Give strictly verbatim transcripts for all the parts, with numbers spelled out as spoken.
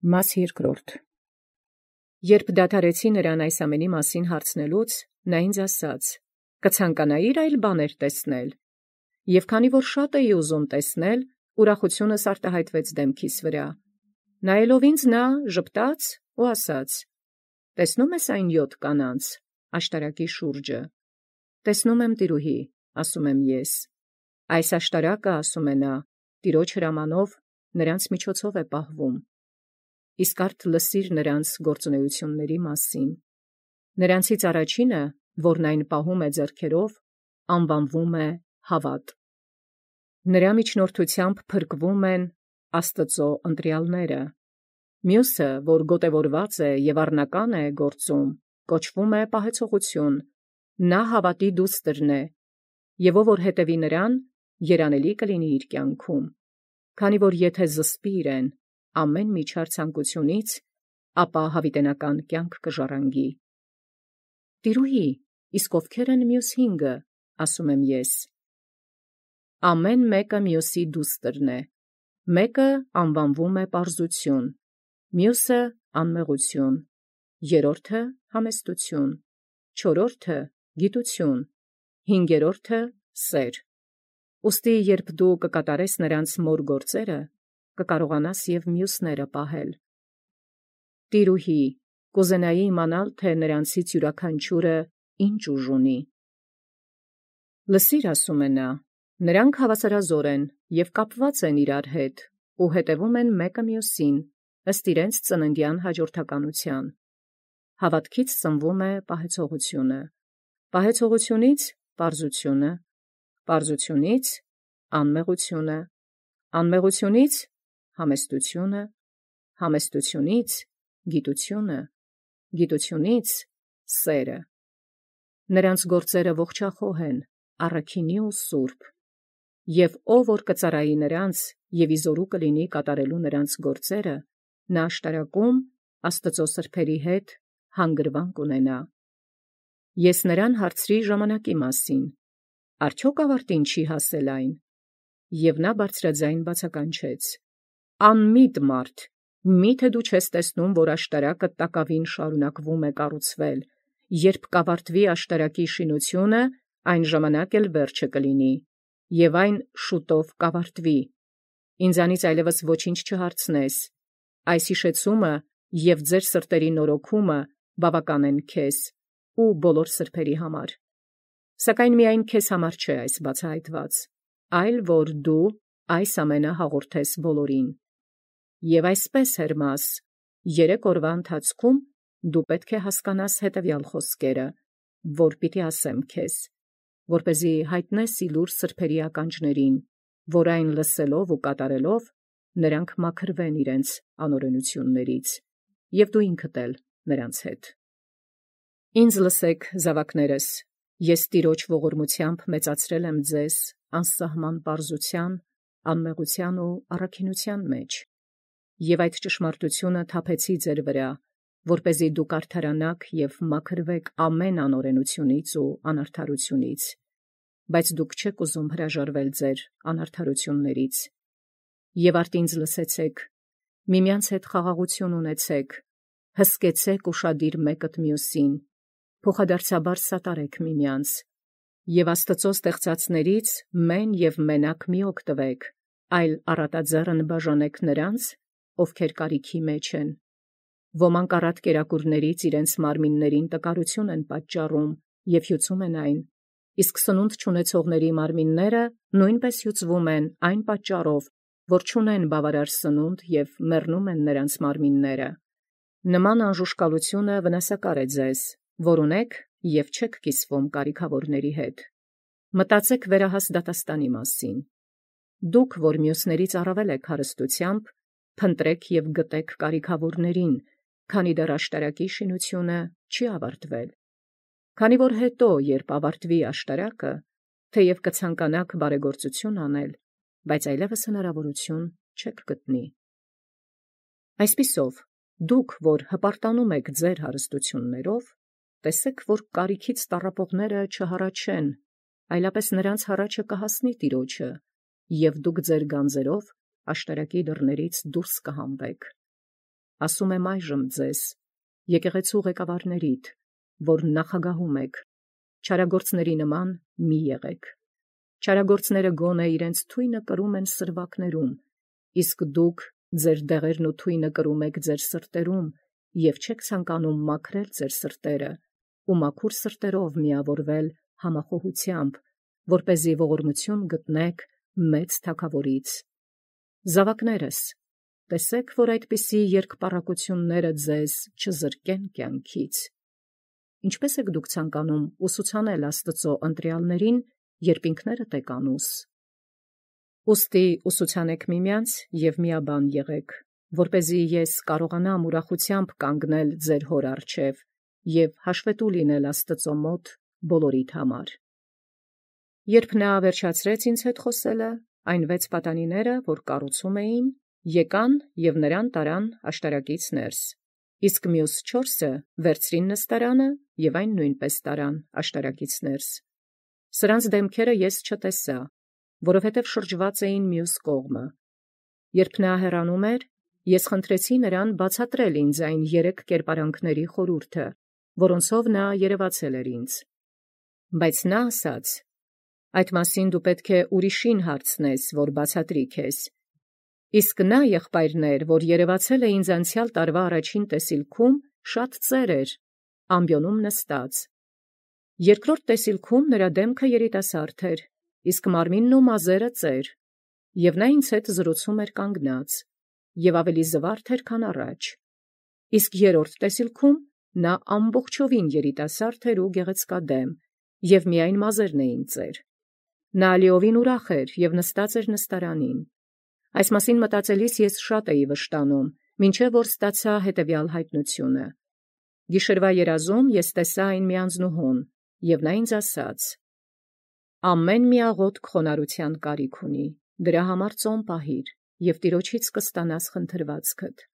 Մաս երկրորդ. Երբ դադարեցի նրան այս ամենի մասին հարցնելուց, նա ինձ ասաց. «Կցանկանայիր այլ բաներ տեսնել»։ Եւ քանի որ շատ էի ուզում տեսնել, ուրախութիւնս արտահայտվեց դեմքիս վրա։ Նայելով ինձ նա ժպտաց ու ասաց. «Տեսնո՞ւմ ես այն յոթ կանանց աշտարակի շուրջը»։ «Տեսնում եմ, տիրուհի», ասում եմ ես։ «Այս աշտարակը, ասում է նա, Տիրոջ հրամանով նրանց միջոցով է պահվում։ Իսկ արդ լսիր նրանց գործունեությունների մասին։ Նրանցից առաջինը, որն այն պահում է ձեռքերով, անվանվում է Հավատ։ Նրա միջնորդությամբ փրկվում են Աստծո ընտրյալները։ Մյուսը, որ գոտևորված է և առնական է գործում, կոչվում է պահեցողություն, նա հավատի դուստրն է, և ով որ հետևի նրան, երանելի կլինի իր կյանքում, քանի որ եթե զսպի իրեն ամեն միջար ցանկությունից, ապա հավիտենական կյանք կժառանգի։ Տիրուհի, իսկ ովքեր են մյուս հինգը, ասում եմ ես։ Ամեն մեկը մյուսի դուստրն է, մեկը անվանվում է պարզություն, մյուսը անմեղություն, երրորդը համեստություն, չորրորդը գիտություն, հինգերորդը սեր։ Ուստի երբ դու կկատարես նրանց մոր գործերը, կկարողանաս և մյուսները պահել։ Տիրուհի, կուզենայի իմանալ, թե նրանցից յուրաքանչյուրը ինչ ուժ ունի։ Լսիր, ասում է նա, նրանք հավասարազոր են և կապված են իրար հետ ու հետևում են մեկը մյուսին, ըստ իրենց ծննդյան հաջորդականության։ Հավատքից ծնվում է պահեցողությունը, պահեցողությունից պարզությունը, պարզությունից անմեղությունը, անմեղությունից համեստությունը, համեստությունից գիտությունը, գիտությունից սերը։ Նրանց գործերը ողջախոհ են, առաքինի ու սուրբ, և ով որ կծառայի նրանց և իզորու կլինի կատարելու նրանց գործերը, նա աշտարակում Աստծո սրբերի հետ հանգրվան կունենա։ Ես նրան հարցրի ժամանակի մասին. արդյոք ավարտին չի հասել այն։ Եվ նա բարձրաձայն բացականչեց. անմիտ մարդ, միթե դու չես տեսնում, որ աշտարակը տակավին շարունակվում է կառուցվել, երբ կավարտվի աշտարակի շինությունը, այն ժամանակ էլ վերջը կլինի, և այն շուտով կավարտվի։ Ինձանից այլևս ոչինչ չհարցնես, այս հիշեցումը և ձեր սրտերի նորոգումը բավական են քեզ ու բոլոր սրբերի համար։ Սակայն միայն քեզ համար չէ այս բացահայտված, այլ որ դու այս ամենը հաղորդես բոլորին։ Եվ այսպես, Հերմաս, երեք օրվա ընթացքում դու պետք է հասկանաս հետևյալ խոսքերը, որ պիտի ասեմ քեզ, որպեսզի հայտնես իլուր սրբերի ականջներին, որ այն լսելով ու կատարելով նրանք մաքրվեն իրենց անօրենություններից, և դու ինքդ էլ նրանց հետ։ Ինձ լսեք, զավակներս, ես Տիրոջ ողորմությամբ մեծացրել եմ ձեզ անսահման պարզության, անմեղության ու առաքինության մեջ, և այդ ճշմարտությունը թափեցի ձեր վրա, որպեսզի դուք արդարանաք և մաքրվեք ամեն անօրենությունից ու անարդարությունից, բայց դուք չեք ուզում հրաժարվել ձեր անարդարություններից։ Եվ արդ ինձ լսեցեք, միմյանց հետ խաղաղություն ունեցեք, հսկեցեք ուշադիր մեկըդ մյուսին, փոխադարձաբար սատարեք միմյանց, և Աստծո ստեղծածներից մեն և մենակ մի օգտվեք, այլ առատաձեռն բաժանեք նրանց, ովքեր կարիքի մեջ են։ Ոմանք առատ կերակուրներից իրենց մարմիններին տկարություն են պատճառում և հյուծում են այն, իսկ սնունդ չունեցողների մարմինները նույնպես հյուծվում են այն պատճառով, որ չունեն բավարար սնունդ և մեռնում են նրանց մարմինները։ Նման անժուշկալությունը վնասակար է ձեզ, որ ունեք և չեք կիսվում կարիքավորների հետ։ Մտածեք վերահաս դատաստանի մասին։ Դուք, որ մյուսներից առավել եք հարստությամբ, փնտրեք և գտեք կարիքավորներին, քանի դեռ աշտարակի շինությունը չի ավարտվել։ Քանի որ հետո, երբ ավարտվի աշտարակը, թեև կցանկանաք բարեգործություն անել, բայց այլևս հնարավորություն չեք գտնի։ Այսպիսով, դուք, որ հպարտանում եք ձեր հարստություններով, տեսեք, որ կարիքից տառապողները չհառաչեն, այլապես նրանց հառաչը կհասնի Տիրոջը, և դուք ձեր գանձերով աշտարակի դռներից դուրս կհանվեք։ ասում եմ այժմ ձեզ, եկեղեցու ղեկավարներիդ, որ նախագահում եք, չարագործների նման մի եղեք։ Չարագործները գոնե իրենց թույնը կրում են սրվակներում, իսկ դուք ձեր դեղերն ու թույնը կրում եք ձեր սրտերում, և չեք ցանկանում մաքրել ձեր սրտերը, ու մաքուր սրտերով միավորվել համախոհությամբ, որպեսզի ողորմություն գտնեք մեծ թագավորից։ Զավակներս, տեսեք, որ այդպիսի երկպառակությունները ձեզ չզրկեն կյանքից։ Ինչպես եք դուք ցանկանում ուսուցանել Աստծո ընտրյալներին, երբ ինքներդ եք անուս։ Ուստի ուսուցանեք միմյանց և միաբան եղեք, որպեսզի ես կարողանամ ուրախությամբ կանգնել ձեր հոր առջև և հաշվետու լինել Աստծո մոտ բոլորիդ համար։ Երբ նա վերջացրեց ինձ հետ խոսելը, այն վեց պատանիները, որ կառուցում էին, եկան և նրան տարան աշտարակից ներս, իսկ մյուս չորսը վերցրին նստարանը և այն նույնպես տարան աշտարակից ներս։ Սրանց դեմքերը ես չտեսա, որովհետև շրջված էին մյուս կողմը։ Երբ նա հեռանում էր, ես խնդրեցի նրան բացատրել ինձ այն երեք կերպարանքների խորհուրդը, որոնցով նա երևացել էր ինձ։ Բայց նա ասաց. «Այդ մասին դու պետք է ուրիշին հարցնես, որ բացատրի քեզ։ Իսկ նա եղբայրն էր, որ երևացել է ինձ անցյալ տարվա առաջին տեսիլքում, շատ ծեր էր, ամբիոնում նստած։ Երկրորդ տեսիլքում նրա դեմքը երիտասարդ էր, իսկ մարմինն ու մազերը ծեր, և նա ինձ հետ զրուցում էր կանգնած, և ավելի զվարթ էր, քան առաջ։ Իսկ երրորդ տեսիլքում նա ամբողջովին երիտասարդ էր ու գեղեցկադեմ, և միայն մազերն էին ծեր։ Նա լիովին ուրախ էր և նստած էր նստարանին։ Այս մասին մտածելիս ես շատ էի վշտանում, մինչև որ ստացա հետևյալ հայտնությունը։ Գիշերվա երազում ես տեսա այն մի անձնուհուն, և նա ինձ ասաց. «Ամեն մի աղոթք խոնարհության կարիք ունի, դրա համար ծոմ պահիր, և Տիրոջից կստանաս խնդրվածքդ»։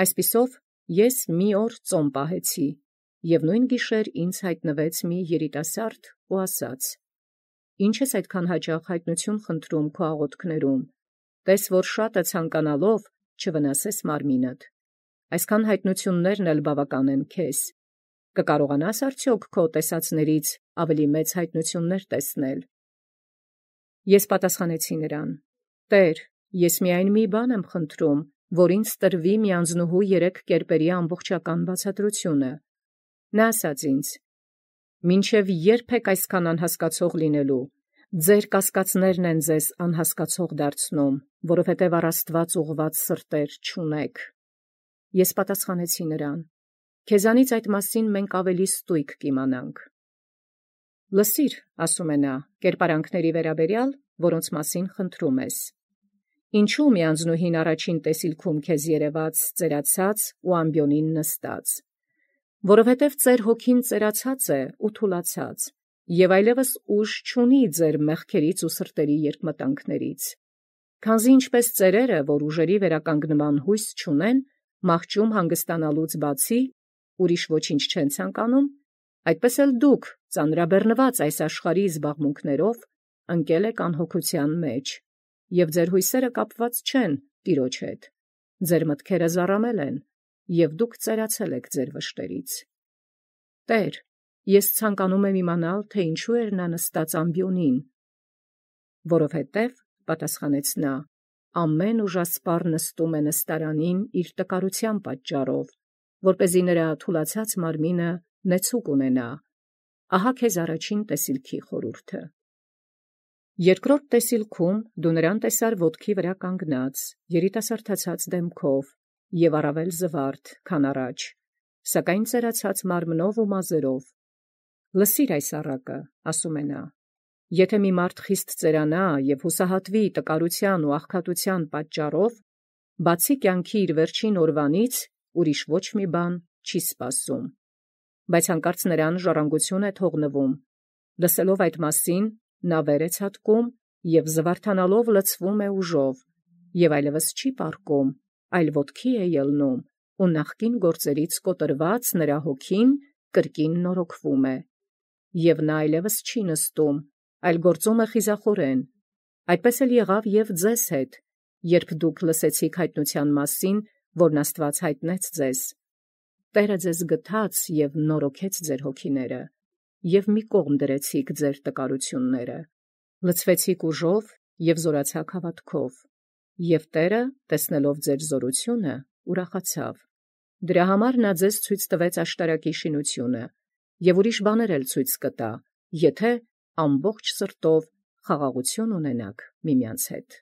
Այսպիսով ես մի օր ծոմ պահեցի, և նույն գիշեր ինձ հայտնվեց մի երիտասարդ ու ասաց. «Ինչ ես այդքան հաճախ հայտնություն խնդրում քո աղոթքներում, տես, որ շատը ցանկանալով չվնասես մարմինդ։ Այսքան հայտնություններն էլ բավական են քեզ. կկարողանա՞ս արդյոք քո տեսածներից ավելի մեծ հայտնություններ տեսնել»։ Ես պատասխանեցի նրան. «Տեր, ես միայն մի բան եմ խնդրում, որ ինձ տրվի մի անձնուհու երեք կերպերի ամբողջական բացատրությունը»։ Նա ասաց ինձ. «Մինչև ե՞րբ եք այսքան անհասկացող լինելու, ձեր կասկածներն են ձեզ անհասկացող դարձնում, որովհետև առ Աստված ուղղված սրտեր չունեք»։ Ես պատասխանեցի նրան. «Քեզանից այդ մասին մենք ավելի ստույգ կիմանանք»։ «Լսիր, – ասում է նա, – կերպարանքների վերաբերյալ, որոնց մասին խնդրում ես. ինչու մի անձնուհին առաջին տեսիլքում քեզ երևաց ծերացած ու ամբիոնին նստած։ Որովհետև ծեր հոգին ծերացած է ու թուլացած, և այլևս ուժ չունի ձեր մեղքերից ու սրտերի երկմտանքներից։ Քանզի ինչպես ծերերը, որ ուժերի վերականգնման հույս չունեն, մահճում հանգստանալուց բացի ուրիշ ոչինչ չեն ցանկանում, այդպես էլ դուք, ծանրաբեռնված այս աշխարհի զբաղմունքներով, ընկել եք անհոգության մեջ, և ձեր հույսերը կապված չեն Տիրոջ հետ, ձեր մտքերը զառամել են, և դուք ծերացել եք ձեր վշտերից։ Տեր, ես ցանկանում եմ իմանալ, թե ինչու էր նա նստած ամբիոնին։ Որովհետև, – պատասխանեց նա, – ամեն ուժասպառ նստում է նստարանին իր տկարության պատճառով, որպեսզի նրա թուլացած մարմինը նեցուկ ունենա։ Ահա քեզ առաջին տեսիլքի խորհուրդը։ Երկրորդ տեսիլքում դու նրան տեսար ոտքի վրա կանգնած, երիտասարդացած դեմքով և առավել զվարթ, քան առաջ, սակայն ծերացած մարմնով ու մազերով։ Լսիր այս առակը, – ասում է նա. եթե մի մարդ խիստ ծերանա և հուսահատվի տկարության ու աղքատության պատճառով, բացի կյանքի իր վերջին օրվանից ուրիշ ոչ մի բան չի սպասում։ Բայց հանկարծ նրան ժառանգություն է թողնվում։ Լսելով այդ մասին, նա վեր է ցատկում և զվարթանալով լցվում է ուժով, և այլևս չի պառկում, այլ ոտքի է ելնում, ու նախկին գործերից կոտրված նրա հոգին կրկին նորոգվում է։ Եվ նա այլևս չի նստում, այլ գործում է խիզախորեն։ Այդպես էլ եղավ և ձեզ հետ, երբ դուք լսեցիք հայտնության մասին, որն Աստուած յայտնեց ձեզ, Տէրը ձեզ գտած և նորոգեց ձեր հոգիները, և մի կողմ դրեցիք ձեր տկարութիւնները, լցվեցիք ուժով և զորացաք հաւատքով, և Տէրը, տեսնելով ձեր զորութիւնը, ուրախացավ. դրա համար նա ձեզ ցույց տվեց աշտարակի շինութիւնը, և ուրիշ բաներ էլ ցույց կտա, եթե ամբողջ սրտով խաղաղութիւն ունենաք միմյանց հետ։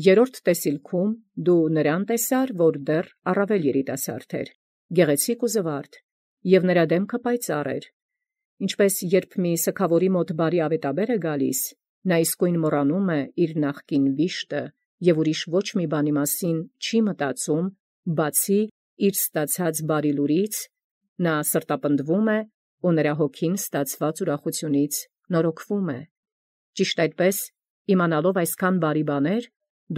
Երրորդ տեսիլքում դու նրան տեսար, որ դեռ առավել երիտասարդ էր, գեղեցիկ ու զվարթ, և նրա դեմքը պայծառ էր, ինչպէս երբ մի սգաւորի մոտ բարի աւետաբեր է գալիս, նա իսկույն մոռանում է իր նախկին վիշտը և ուրիշ ոչ մի բանի մասին չի մտածում, բացի իր ստացած բարի լուրից, նա սրտապնդվում է ու նրա հոգին ստացված ուրախութիւնից նորոգվում է։ Ճիշտ այդպես, իմանալով այսքան բարի բաներ,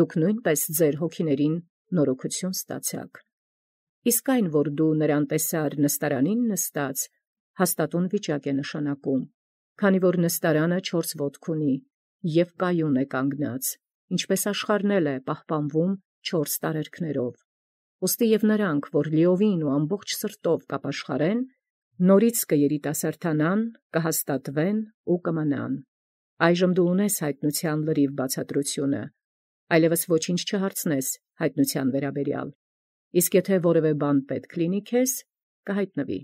դուք նոյնպէս ձեր հոգիներին նորոգութիւն ստացաք։ Իսկ այն, որ դու նրան տեսար նստարանին նստած, հաստատուն վիճակ է նշանակում, քանի որ նստարանը չորս ոտք ունի և կայուն է կանգնած, ինչպէս աշխարհն էլ է պահպանվում չորս տարերքներով։ Ուստի և նրանք, որ լիովին ու ամբողջ սրտով կապաշխարեն, նորից կերիտասարդանան, կհաստատվեն ու կմնան։ Այժմ դու ունես յայտնութեան լրիվ բացատրութիւնը, այլևս ոչինչ չհարցնես յայտնութեան վերաբերեալ, իսկ եթէ որևէ բան պետք լինի քեզ, կյայտնվի։